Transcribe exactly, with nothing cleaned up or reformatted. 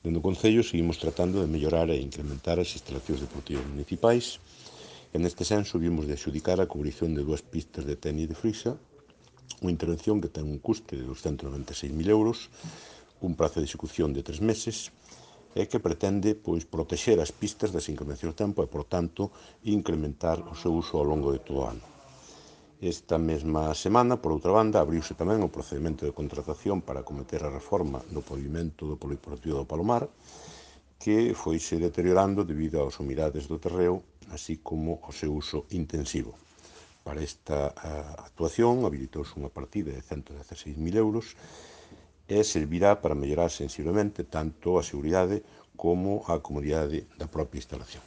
Dende o Concello seguimos tratando de mellorar e incrementar as instalacións deportivas municipais e neste senso vimos de adxudicar a cubrición de dúas pistas de tenis de Frisa, unha intervención que ten un custe de doscientos noventa e seis mil euros, un prazo de execución de tres meses e que pretende pois, protexer as pistas das inclemencias do tempo e, por tanto, incrementar o seu uso ao longo de todo o ano. Esta mesma semana, por outra banda, abriuse tamén o procedimento de contratación para acometer a reforma do pavimento do Polideportivo do Palomar, que foise deteriorando debido ás humidades do terreo, así como ao seu uso intensivo. Para esta uh, actuación habilitouse unha partida de ciento dieciséis mil euros e servirá para mellorar sensiblemente tanto a seguridade como a comodidade da propia instalación.